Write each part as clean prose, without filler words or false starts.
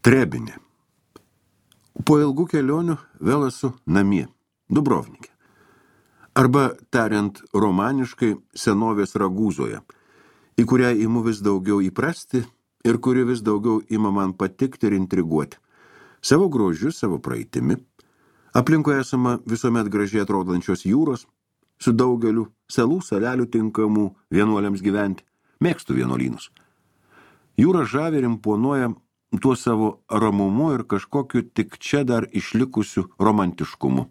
Trebinė. Po ilgų kelionių vėl esu namie, Dubrovnike. Arba, tariant romaniškai, senovės Ragūzoje, į kurią imu vis daugiau įprasti ir kuri vis daugiau ima man patikti ir intriguoti. Savo grožiu, savo praeitimi. Aplinkui esama visuomet gražiai atrodančios jūros, su daugeliu salų, salelių tinkamų vienuoliams gyventi. Mėgstu vienuolynus. Jūra žavi ir imponuoja tuo savo ramumu ir kažkokiu tik čia dar išlikusiu romantiškumu.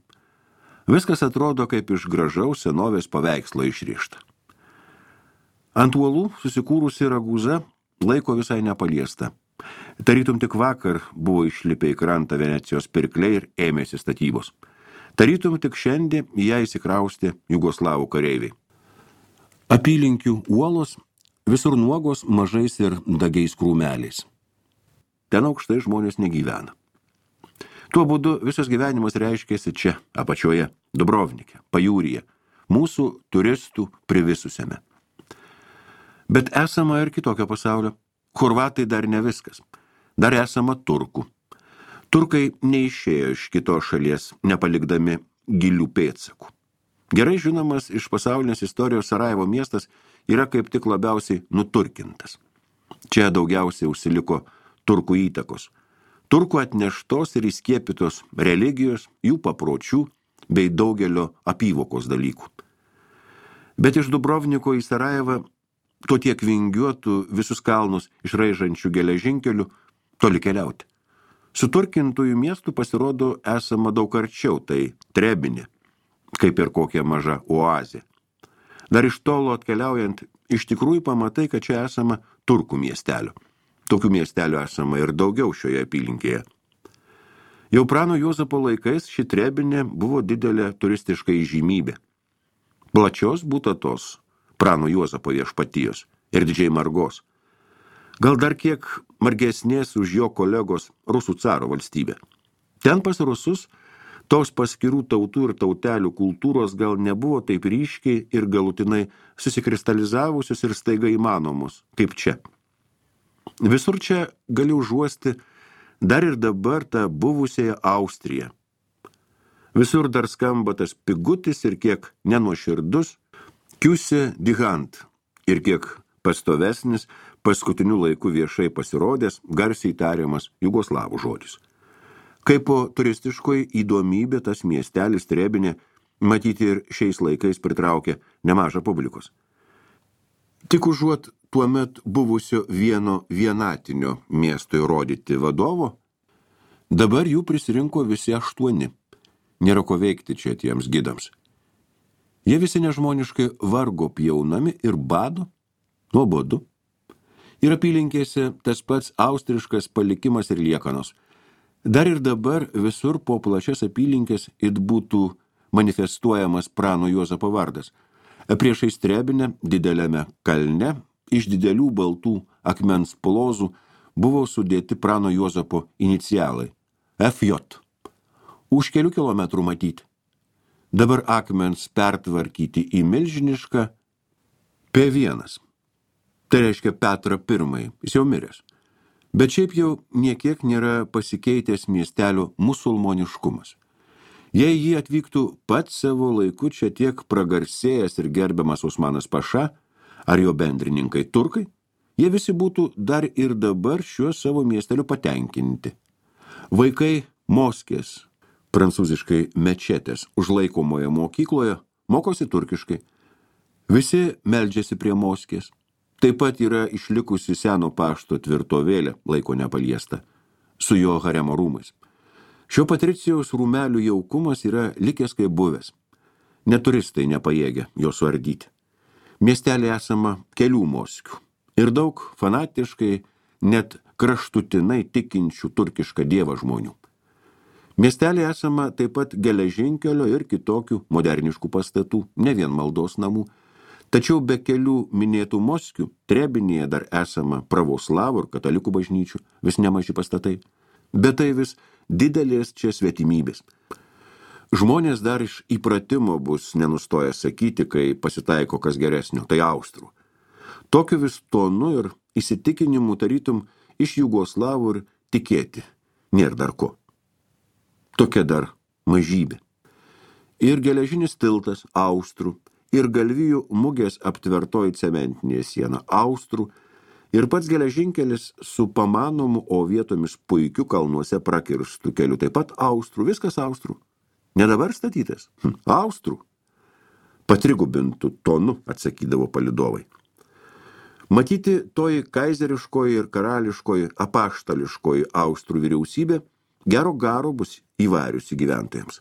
Viskas atrodo kaip iš gražaus senovės paveikslo išrišta. Ant uolų susikūrusi Ragūza laiko visai nepaliesta. Tarytum tik vakar buvo išlipę į krantą Venecijos pirkliai ir ėmėsi statybos. Tarytum tik šiandien ją įsikraustė jugoslavų kareiviai. Apylinkių uolos visur nuogos mažais ir dagiais krūmeliais. Ten aukštai žmonės negyvena. Tuo būdu visas gyvenimas reiškėsi čia, apačioje, Dubrovnike, pajūryje, mūsų turistų privisusiame. Bet esama ir kitokio pasaulio. Chorvatai dar ne viskas. Dar esama turkų. Turkai neišėjo iš kitos šalies, nepalikdami gilių pėdsakų. Gerai žinomas iš pasaulinės istorijos Sarajevo miestas yra kaip tik labiausiai nuturkintas. Čia daugiausiai užsiliko turkų įtakos. Turkų atneštos ir įskiepytos religijos, jų papročių bei daugelio apyvokos dalykų. Bet iš Dubrovniko į Sarajevą to tiek vingiuotų visus kalnus išraižančių geležinkelių toli keliauti. Suturkintųjų miestų pasirodo esama daug arčiau, tai Trebinė, kaip ir kokia maža oazė. Dar iš tolo atkeliaujant, iš tikrųjų pamatai, kad čia esama turkų miestelio. Tokių miestelių esama ir daugiau šioje apylinkėje. Jau Prano Juozapo laikais ši Trebinė buvo didelė turistiška įžymybė. Plačios būtatos Prano Juozapo viešpatijos ir didžiai margos. Gal dar kiek margesnės už jo kolegos Rusų caro valstybė. Ten pas Rusus tos paskirų tautų ir tautelių kultūros gal nebuvo taip ryškiai ir galutinai susikristalizavusios ir staiga įmanomos, kaip čia. Visur čia gali užuosti dar ir dabar tą buvusiąją Austriją. Visur dar skamba tas pigutis ir kiek nenuoširdus Kiuse Digant ir kiek pastovesnis paskutiniu laiku viešai pasirodęs, garsiai tariamas jugoslavų žodis. Kaip po turistiškoji įdomybė tas miestelis Trebinė matyti ir šiais laikais pritraukia nemažą publikos. Tik užuot tuomet buvusio vieno vienatinio miesto įrodyti vadovo, dabar jų prisirinko visi 8. Nėra ko veikti čia tiems gidams. Jie visi nežmoniškai vargo pjaunami ir bado, nuobodu. Ir apylinkėse tas pats austriškas palikimas ir liekanos. Dar ir dabar visur po plačias apylinkės it būtų manifestuojamas Prano Juozapo vardas. Priešais Trebinę, dideliame kalne, iš didelių baltų akmens plozų buvo sudėti Prano Juozapo inicialai FJ. Už kelių kilometrų matyti. Dabar akmens pertvarkyti į milžinišką P1. Tai reiškia Petrą I, jis jau miręs. Bet šiaip jau niekiek nėra pasikeitęs miestelio musulmoniškumas. Jei jį atvyktų pats savo laiku čia tiek pragarsėjęs ir gerbiamas Usmanas Paša, ar jo bendrininkai turkai, jie visi būtų dar ir dabar šiuo savo miesteliu patenkinti. Vaikai moskės, prancūziškai mečetės, užlaikomoje mokykloje, mokosi turkiškai. Visi meldžiasi prie moskės. Taip pat yra išlikusi seno pašto tvirtovėlė, laiko nepaliesta, su jo haremo rūmais. Šio patricijaus rūmelių jaukumas yra likęs kaip buvęs. Neturistai nepajėgia jo suardyti. Miestelį esama kelių moskių ir daug fanatiškai, net kraštutinai tikinčių turkišką dievą žmonių. Miestelį esama taip pat geležinkelio ir kitokių moderniškų pastatų, ne vien maldos namų, tačiau be kelių minėtų moskių Trebinėje dar esama pravoslavų ir katalikų bažnyčių, vis nemaži pastatai. Bet tai vis didelės čia svetimybės. Žmonės dar iš įpratimo bus nenustoję sakyti, kai pasitaiko kas geresnio, tai austrų. Tokiu vis tonu ir įsitikinimu tarytum iš jugoslavų ir tikėti, nėra dar ko. Tokia dar mažybė. Ir geležinis tiltas austrų, ir galvijų mugės aptvertoji cementinė siena austrų, ir pats geležinkelis su pamanomu, o vietomis puikiu kalnuose prakirstų keliu, taip pat austrų, viskas austrų. Ne dabar statytas, austrų. Patrigubintų tonu, atsakydavo palydovai. Matyti toji kaizeriškoji ir karališkoji apaštališkoji austrų vyriausybė gero garo bus įvariusi gyventojams.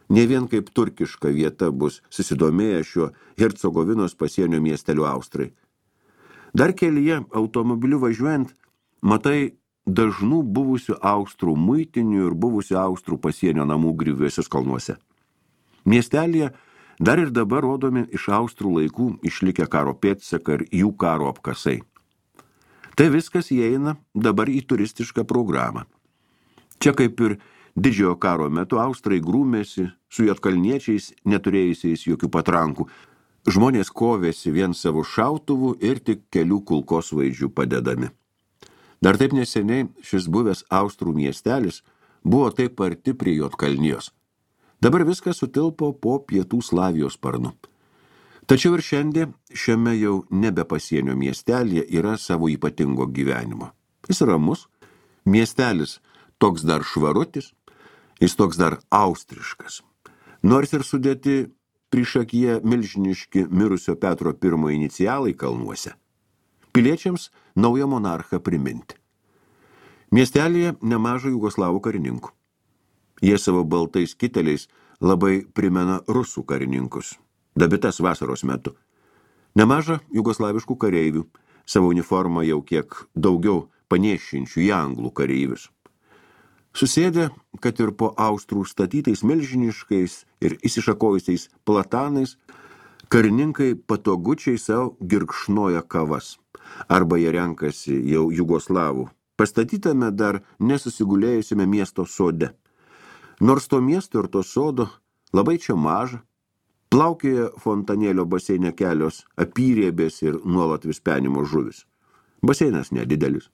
Ne vien kaip turkiška vieta bus susidomėję šiuo Hercegovinos pasienio miesteliu austrai. Dar kelyje automobiliu važiuojant, matai dažnų buvusių austrų muitinių ir buvusių austrų pasienio namų griuvėsius kalnuose. Miestelėje dar ir dabar rodomi iš austrų laikų išlikę karo pėdsakai ir jų karo apkasai. Tai viskas įeina dabar į turistišką programą. Čia kaip ir didžiojo karo metu austrai grūmėsi su juodkalniečiais, neturėjusiais jokių patrankų. Žmonės kovėsi vien savo šautuvų ir tik kelių kulkosvaidžių padedami. Dar taip neseniai šis buvęs austrų miestelis buvo taip arti prie Juodkalnijos. Dabar viskas sutilpo po pietų Slavijos sparnu. Tačiau ir šiandien šiame jau nebe pasienio miestelėje yra savo ypatingo gyvenimo. Jis ramus, miestelis toks dar švarutis, jis toks dar austriškas. Nors ir sudėti priešakyje milžiniški mirusio Petro I inicialai kalnuose. Piliečiams naują monarchą priminti. Miestelėje nemaža jugoslavų karininkų. Jie savo baltais kiteliais labai primena rusų karininkus, dabitas vasaros metu. Nemaža jugoslaviškų kareivių, savo uniformą jau kiek daugiau panėšinčių į anglų kareivius. Susėdę, kad ir po austrų statytais milžiniškais ir įsišakojusiais platanais, karininkai patogučiai savo girkšnoja kavas, arba jie renkasi jau jugoslavų, pastatytame dar nesusigulėjusiame miesto sode. Nors to miesto ir to sodo labai čia maža, plaukioja fontanėlio baseine kelios apyrėbės ir nuolat vispenimo žuvis. Baseinas nedidelis.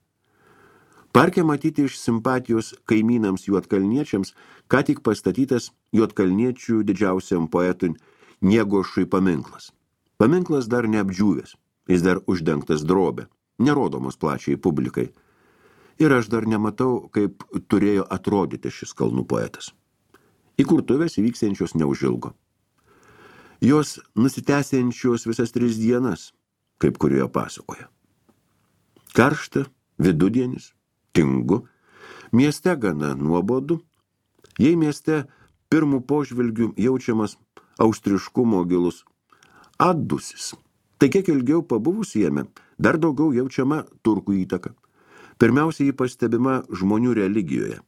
Parke matyti iš simpatijos kaimynams juodkalniečiams, ką tik pastatytas juodkalniečių didžiausiam poetui Niegošui paminklas. Paminklas dar neapdžiūvęs, jis dar uždengtas drobė, nerodomos plačiai publikai. Ir aš dar nematau, kaip turėjo atrodyti šis kalnų poetas. Įkurtuvės įvyksiančios neužilgo. Jos nusitęsiančios visas 3 dienas, kaip kurioje pasakoja. Karšta, vidudienis, tingu, mieste gana nuobodu, jei mieste pirmų požvilgių jaučiamas austriškumo gilus atdusis, tai kiek ilgiau pabuvus jame, dar daugiau jaučiama turkų įtaka. Pirmiausia, jį pastebima žmonių religijoje.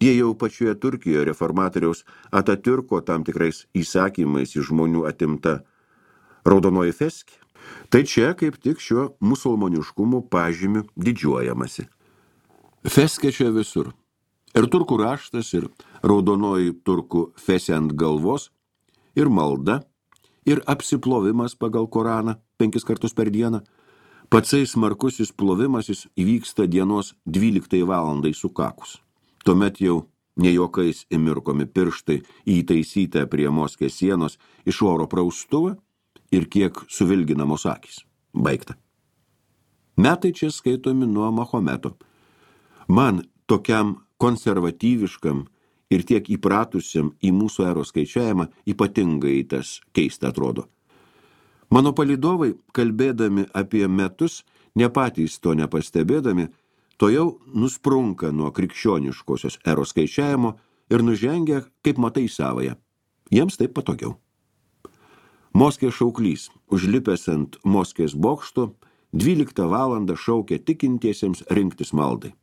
Jie jau pačioje Turkijoje reformatoriaus Atatürko tam tikrais įsakymais iš žmonių atimta raudonoji feskė, tai čia kaip tik šiuo musulmoniškumu pažymiu didžiuojamasi. Feskė čia visur. Ir turkų raštas, ir raudonoji turkų fesė ant galvos, ir malda, ir apsiplovimas pagal Koraną 5 kartus per dieną. Patsai smarkusis plovimasis įvyksta dienos 12 valandai sukakus. Tuomet jau nejokais įmirkomi pirštai įtaisyta prie Moskės sienos iš oro praustuvą ir kiek suvilginamos akys. Baigta. Metai čia skaitomi nuo Mahometo. Man, tokiam konservatyviškam ir tiek įpratusiam į mūsų eros skaičiavimą, ypatingai tas keista atrodo. Mano palydovai, kalbėdami apie metus, ne patys to nepastebėdami, to jau nusprunka nuo krikščioniškosios eros skaičiavimo ir nužengia, kaip matai, savąją. Jiems taip patogiau. Moskės šauklys, užlipęs ant Moskės bokšto, 12 valandą šaukia tikintiesiems rinktis maldai.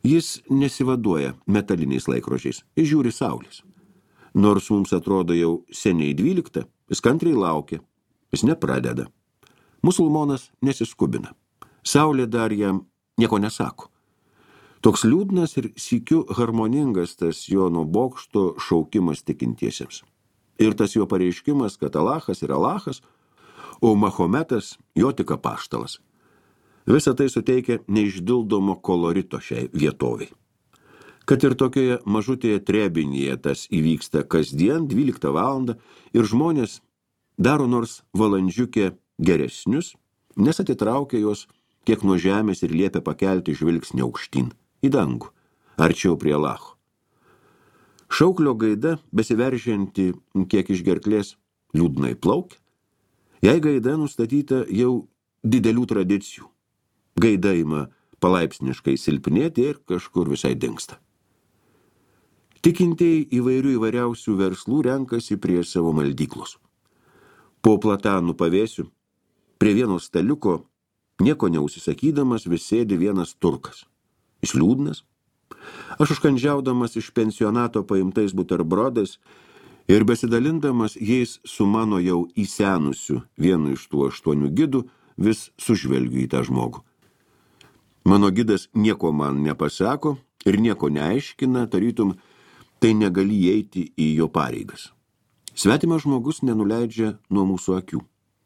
Jis nesivaduoja metaliniais laikrodžiais, jis žiūri saulės. Nors mums atrodo jau seniai 12, jis kantriai laukia, jis nepradeda. Musulmonas nesiskubina. Saulė dar jam nieko nesako. Toks liūdnas ir sykiu harmoningas tas jo nuo bokšto šaukimas tikintiesiems. Ir tas jo pareiškimas, kad Alachas yra Alachas, o Mahometas jo tik apaštalas. Visa tai suteikia neišdildomo kolorito šiai vietoviai. Kad ir tokioje mažutėje Trebinėje tas įvyksta kasdien 12 valandą ir žmonės daro nors valandžiukę geresnius, nes atitraukia juos kiek nuo žemės ir liepia pakelti žvilgsnį aukštyn, į dangų, arčiau prie Allaho. Šauklio gaida, besiveržianti kiek iš gerklės, liūdnai plaukia. Jei gaida nustatyta jau didelių tradicijų, gaida ima palaipsniškai silpnėti ir kažkur visai dingsta. Tikintieji įvairiausių verslų renkasi prie savo maldyklos. Po platanų pavėsių, prie vieno staliuko, nieko neužsisakydamas, vis sėdi vienas turkas. Jis liūdnas. Aš užkandžiaudamas iš pensionato paimtais buterbrodais ir besidalindamas jais su mano jau įsenusiu vienu iš tų 8 gidų, vis sužvelgiu į tą žmogų. Mano gidas nieko man nepasako ir nieko neaiškina, tarytum, tai negali įeiti į jo pareigas. Svetimas žmogus nenuleidžia nuo mūsų akių.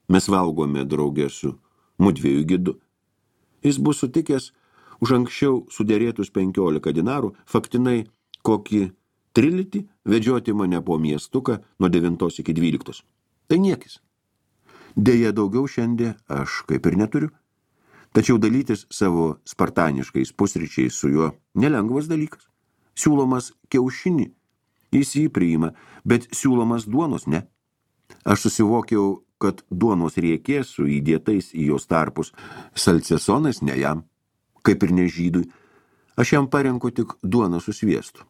Mes valgome drauge su mudviejų gidu. Jis bus sutikęs už anksčiau sudėrėtus 15 dinarų, faktinai kokį trilitį vedžioti mane po miestuką nuo 9 iki 12. Tai niekis. Deja, daugiau šiandien aš kaip ir neturiu. Tačiau dalytis savo spartaniškais pusryčiais su juo nelengvas dalykas. Siūlomas kiaušinį, jis jį priima, bet siūlomas duonos ne. Aš susivokiau, kad duonos riekė su įdėtais į jos tarpus salcesonais ne jam, kaip ir ne žydui. Aš jam parenku tik duoną su sviestu.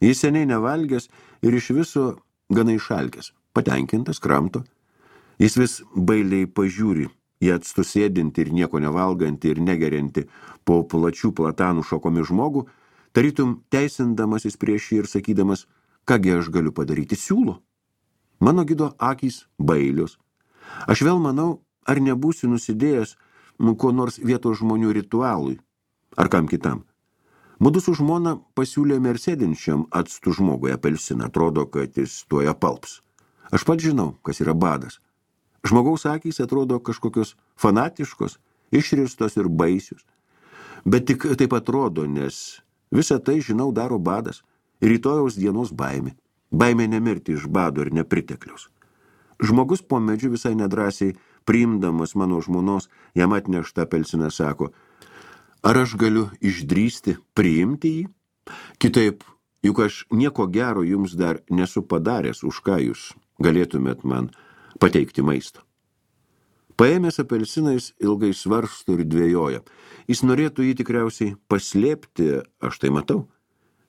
Jis seniai nevalgęs ir iš viso gana išalkęs, patenkintas, kramto. Jis vis bailiai pažiūri į atstusėdinti ir nieko nevalgantį ir negeriantį po plačių platanų šakomis žmogų, tarytum teisindamasis prieš jį ir sakydamas, kągi aš galiu padaryti, siūlo. Mano gido akys bailios. Aš vėl manau, ar nebūsiu nusidėjęs ko nors vietos žmonių ritualui, ar kam kitam. Mudu su žmona pasiūlėme ir sėdinčiam atstų žmogui apelsiną, atrodo, kad jis tuoj apalps. Aš pats žinau, kas yra badas. Žmogaus akys atrodo kažkokios fanatiškos, išristos ir baisios. Bet tik taip atrodo, nes visą tai, žinau, daro badas, rytojaus dienos baimė. Baimė nemirti iš bado ir nepritekliaus. Žmogus po medžiu visai nedrąsiai, priimdamas mano žmonos, jam atneštą apelsiną sako, ar aš galiu išdrįsti priimti jį? Kitaip, juk aš nieko gero jums dar nesu padaręs, už ką jūs galėtumėt man pateikti maisto. Paėmęs apelsinais ilgai svarsto ir dvejoja. Jis norėtų jį tikriausiai paslėpti, aš tai matau.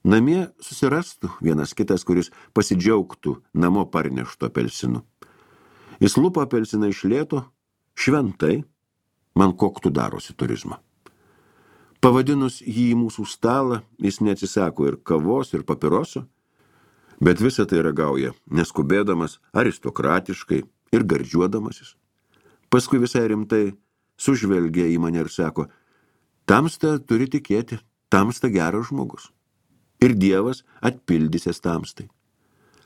Namie susirastų vienas kitas, kuris pasidžiaugtų namo parneštų apelsinu. Jis lupa apelsiną iš lėto, šventai, man koktų darosi turizmą. Pavadinus jį į mūsų stalą, jis neatsisako ir kavos, ir papiroso, bet visą tai ragauja, neskubėdamas, aristokratiškai ir gardžiuodamasis. Paskui visai rimtai sužvelgia į mane ir sako, tamsta turi tikėti, tamsta geras žmogus. Ir Dievas atpildysies tamstai.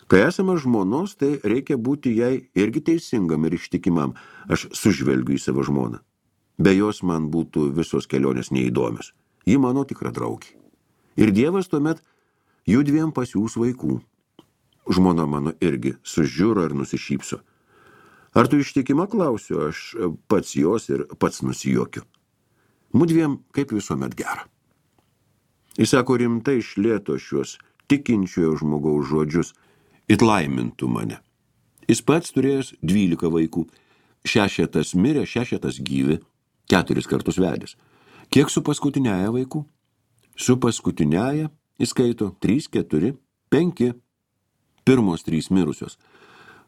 Kai esame žmonos, tai reikia būti jai irgi teisingam ir ištikimam. Aš sužvelgiu į savo žmoną. Be jos man būtų visos kelionės neįdomios. Ji mano tikra draugė. Ir Dievas tuomet judviem pasiūs vaikų. Žmona mano irgi sužiūro ir nusišypso. Ar tu ištikima, klausiu, aš pats jos ir pats nusijuokiu. Mudviem kaip visuomet gera. Jis sako rimtai iš lėto šiuos tikinčiojo žmogaus žodžius, it laimintų mane. Jis pats turėjęs 12 vaikų, 6 mirė, 6 gyvi, 4 kartus vedęs. Kiek su paskutiniaja vaikų? Su paskutiniaja įskaito 3, 4, 5, pirmos 3 mirusios.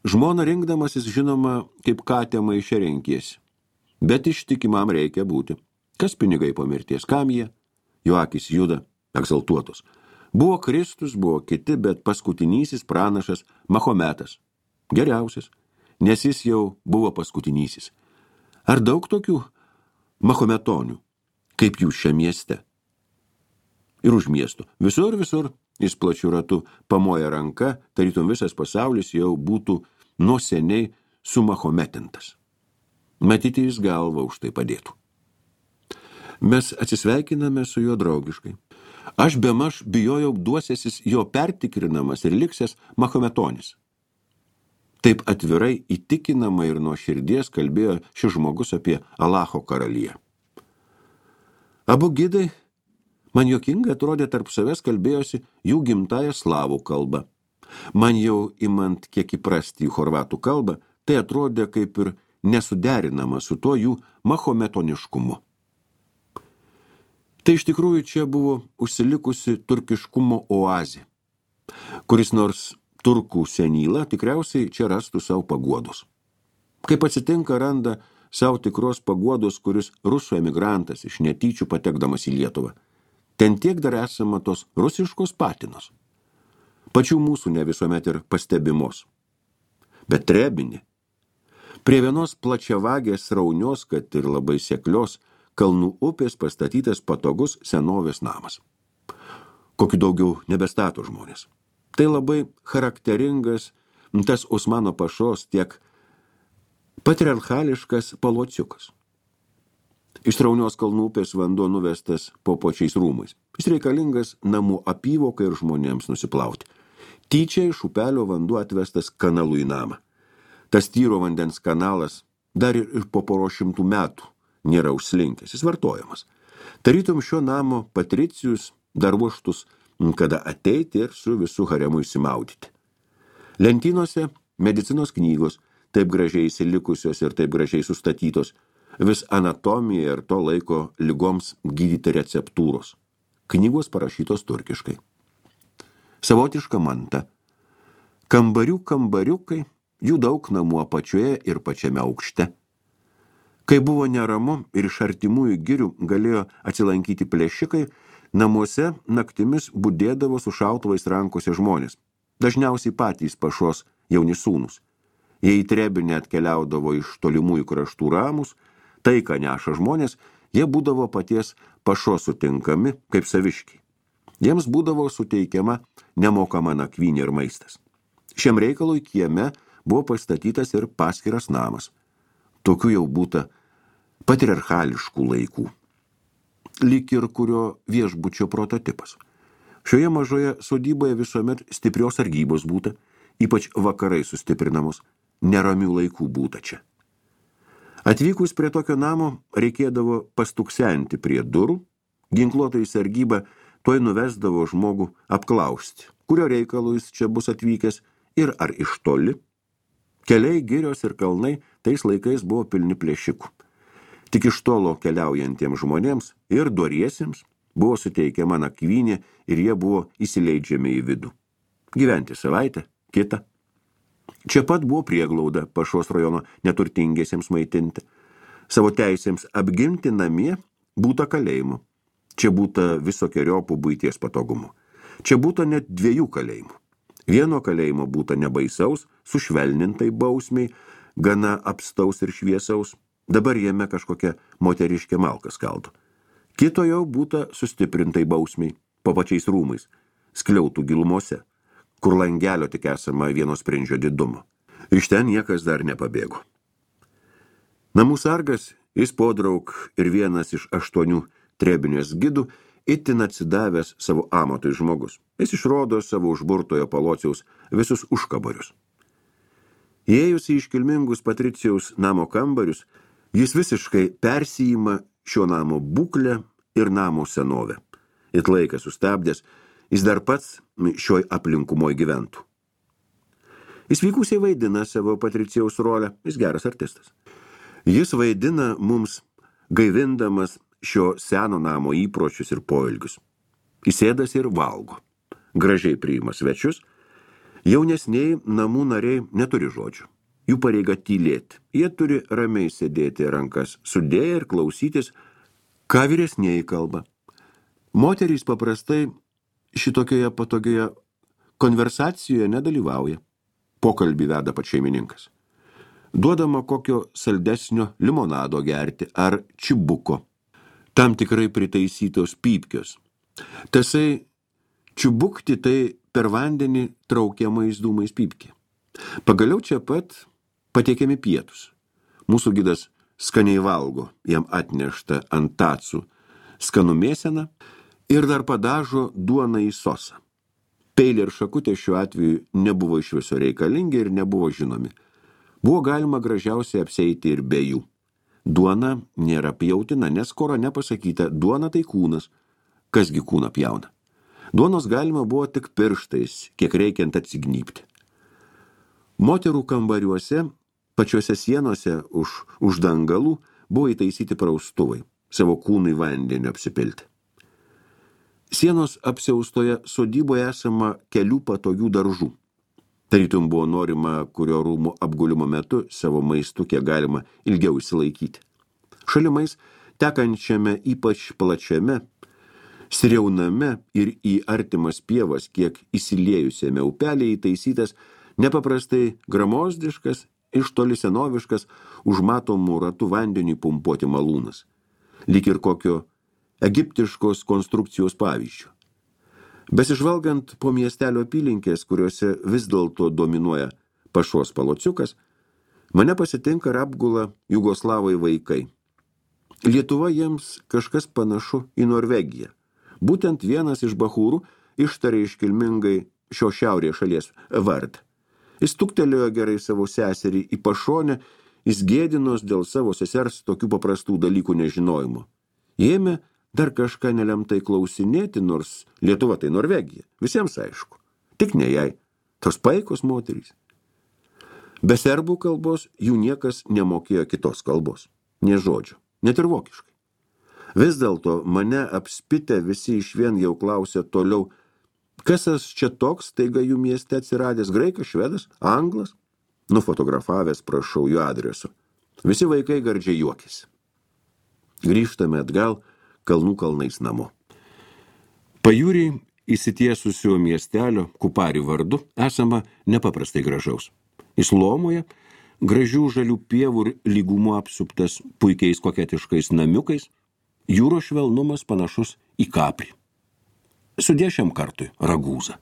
Žmona rinkdamasis žinoma, kaip katė maiše renkiesi. Bet ištikimam reikia būti. Kas pinigai po mirties, kam jie? Jo akys juda, egzaltuotos. Buvo Kristus, buvo kiti, bet paskutinysis pranašas Mahometas. Geriausias, nes jis jau buvo paskutinysis. Ar daug tokių mahometonių, kaip jūs šiame mieste? Ir už miesto. Visur jis plačiu ratu pamoja ranka, tarytum visas pasaulis jau būtų nuo seniai sumahometintas. Matyti jis galvą už tai padėtų. Mes atsisveikiname su juo draugiškai. Aš bemaž bijojau duosėsis jo pertikrinamas ir liksęs mahometonis. Taip atvirai, įtikinamai ir nuo širdies kalbėjo šis žmogus apie Alacho karaliją. Abu gidai, man juokingai atrodė, tarp savęs kalbėjosi jų gimtąją slavų kalbą. Man jau imant kiek įprasti į chorvatų kalbą, tai atrodė kaip ir nesuderinama su tuo jų mahometoniškumu. Tai iš tikrųjų čia buvo užsilikusi turkiškumo oazė, kuris nors turkų senyla tikriausiai čia rastų savo paguodos. Kaip atsitinka, randa savo tikros paguodos, kuris rusų emigrantas iš netyčių patekdamas į Lietuvą. Ten tiek dar esama tos rusiškos patinos. Pačių mūsų ne visuomet ir pastebimos. Bet Trebinė. Prie vienos plačiavagės sraunios, kad ir labai seklios, kalnų upės pastatytas patogus senovės namas. Kokiu daugiau nebestato žmonės. Tai labai charakteringas tas Osmano pašos tiek patriarchališkas palociukas. Iš sraunios kalnų upės vanduo nuvestas po pačiais rūmais. Jis reikalingas namų apyvokai ir žmonėms nusiplauti. Tyčia iš upelio vanduo atvestas kanalu į namą. Tas tyro vandens kanalas dar ir po 100 metų nėra užslinkęs, jis vartojamas. Tarytum šio namo patricijus dar ruoštus, kada ateiti ir su visų haremu įsimaudyti. Lentynose medicinos knygos, taip gražiai įsilikusios ir taip gražiai sustatytos, vis anatomija ir to laiko ligoms gydyti receptūros. Knygos parašytos turkiškai. Savotiška manta. Kambariukai, jų daug namų apačioje ir pačiame aukšte. Kai buvo neramu ir iš artimųjų girių galėjo atsilankyti plėšikai, namuose naktimis budėdavo su šautuvais rankose žmonės, dažniausiai patys pašos jauni sūnus. Jei į Trebinę atkeliaudavo iš tolimųjų kraštų ramus, tai, ką neša žmonės, jie būdavo paties pašos sutinkami kaip saviškiai. Jiems būdavo suteikiama nemokama nakvynė ir maistas. Šiam reikalui kieme buvo pastatytas ir paskiras namas. Tokių jau būta patriarchališkų laikų. Lyg ir kurio viešbučio prototipas. Šioje mažoje sodyboje visuomet stiprios sargybos būta, ypač vakarai sustiprinamos, neramių laikų būta čia. Atvykus prie tokio namo reikėdavo pastuksenti prie durų, ginkluotojai sargyba tuoj nuvesdavo žmogų apklausti, kurio reikalų jis čia bus atvykęs ir ar iš toli. Keliai, girios ir kalnai tais laikais buvo pilni plėšikų. Tik iš tolo keliaujantiems žmonėms ir doriesiems buvo suteikiama nakvynė ir jie buvo įsileidžiami į vidų. Gyventi savaitę, kitą. Čia pat buvo prieglauda Pašos rajono neturtingiesiems maitinti. Savo teisėms apginti namie būta kalėjimų. Čia būta visokieriopų buities patogumų. Čia būta net 2 kalėjimų. Vieno kalėjimo būta nebaisaus, sušvelnintai bausmiai, gana apstaus ir šviesaus. Dabar jame kažkokia moteriškė malka skaldo. Kito jau būta sustiprintai bausmiai, po pačiais rūmais, skliautų gilumose, kur langelio tik esama vieno sprindžio didumo. Iš ten niekas dar nepabėgo. Namų sargas, jis podraug ir vienas iš 8 Trebinės gidų, itin atsidavęs savo amatui žmogus. Jis išrodo savo užburtojo palociaus visus užkabarius. Įėjus į iškilmingus patricijaus namo kambarius, jis visiškai persijima šio namo būklę ir namo senovę. It laiką sustabdęs, jis dar pats šioj aplinkumoj gyventų. Jis vykusiai vaidina savo patricijaus rolę, jis geras artistas. Jis vaidina mums gaivindamas šio seno namo įpročius ir poelgius. Įsėdas ir valgo. Gražiai priima svečius. Jaunesniai namų nariai neturi žodžių. Jų pareiga tylėti. Jie turi ramiai sėdėti rankas sudėję ir klausytis, ką vyresnieji kalba. Moterys paprastai šitokioje patogioje konversacijoje nedalyvauja. Pokalbį veda pats šeimininkas. Duodama kokio saldesnio limonado gerti ar čibuko. Tam tikrai pritaisytos pypkios. Tasai čiubukti tai per vandenį traukiamais dūmais pypkė. Pagaliau čia pat pateikiami pietus. Mūsų gidas skaniai valgo, jam atnešta ant tacų skanų mėseną ir dar padažo duoną į sosą. Peiliai ir šakutė šiuo atveju nebuvo iš viso reikalingi ir nebuvo žinomi. Buvo galima gražiausiai apsieiti ir be jų. Duona nėra pjautina, nes Korane pasakyta, duona tai kūnas. Kasgi kūną pjauna? Duonos galima buvo tik pirštais, kiek reikiant atsignypti. Moterų kambariuose, pačiuose sienose už dangalų buvo įtaisyti praustuvai, savo kūnui vandeniu apsipilti. Sienos apsiaustoje sodyboje esama kelių patogių daržų. Tarytum buvo norima, kurio rūmų apgulimo metu savo maistu kiek galima ilgiau išsilaikyti. Šalimais, tekančiame ypač plačiame, sriauname ir į artimas pievas, kiek įsiliejusiame upelėje įtaisytas nepaprastai gramozdiškas, iš toli senoviškas, užmatomų ratų vandeniui pumpuoti malūnas, lyg ir kokio egiptiškos konstrukcijos pavyzdžių. Besižvalgant po miestelio apylinkės, kuriuose vis dėlto dominuoja pašos palociukas, mane pasitinka ir apgula jugoslavai vaikai. Lietuva jiems kažkas panašu į Norvegiją. Būtent vienas iš bachūrų ištarė iškilmingai šio šiaurės šalies vardą. Jis tuktelėjo gerai savo seserį į pašonę, jis gėdinos dėl savo sesers tokių paprastų dalykų nežinojimo. Ėmė dar kažką nelemtai klausinėti, nors Lietuva tai Norvegija. Visiems aišku. Tik ne jai. Tos paikos moterys. Be serbų kalbos jų niekas nemokėjo kitos kalbos. Nė žodžio. Net ir vokiškai. Vis dėlto mane apspitę visi išvien jau klausė toliau, kas čia toks, taiga jų mieste atsiradęs, graikas, švedas, anglas? Nufotografavęs prašau jų adresu. Visi vaikai gardžiai juokėsi. Grįžtame atgal kalnų kalnais namo. Pajūriai įsitiesusio miestelio Kupari vardu esama nepaprastai gražaus. Islomoje gražių žalių pievų ir lygumų apsuptas puikiais koketiškais namiukais, jūros švelnumas panašus į Kaprį. Sudė šiam kartui Ragūzą.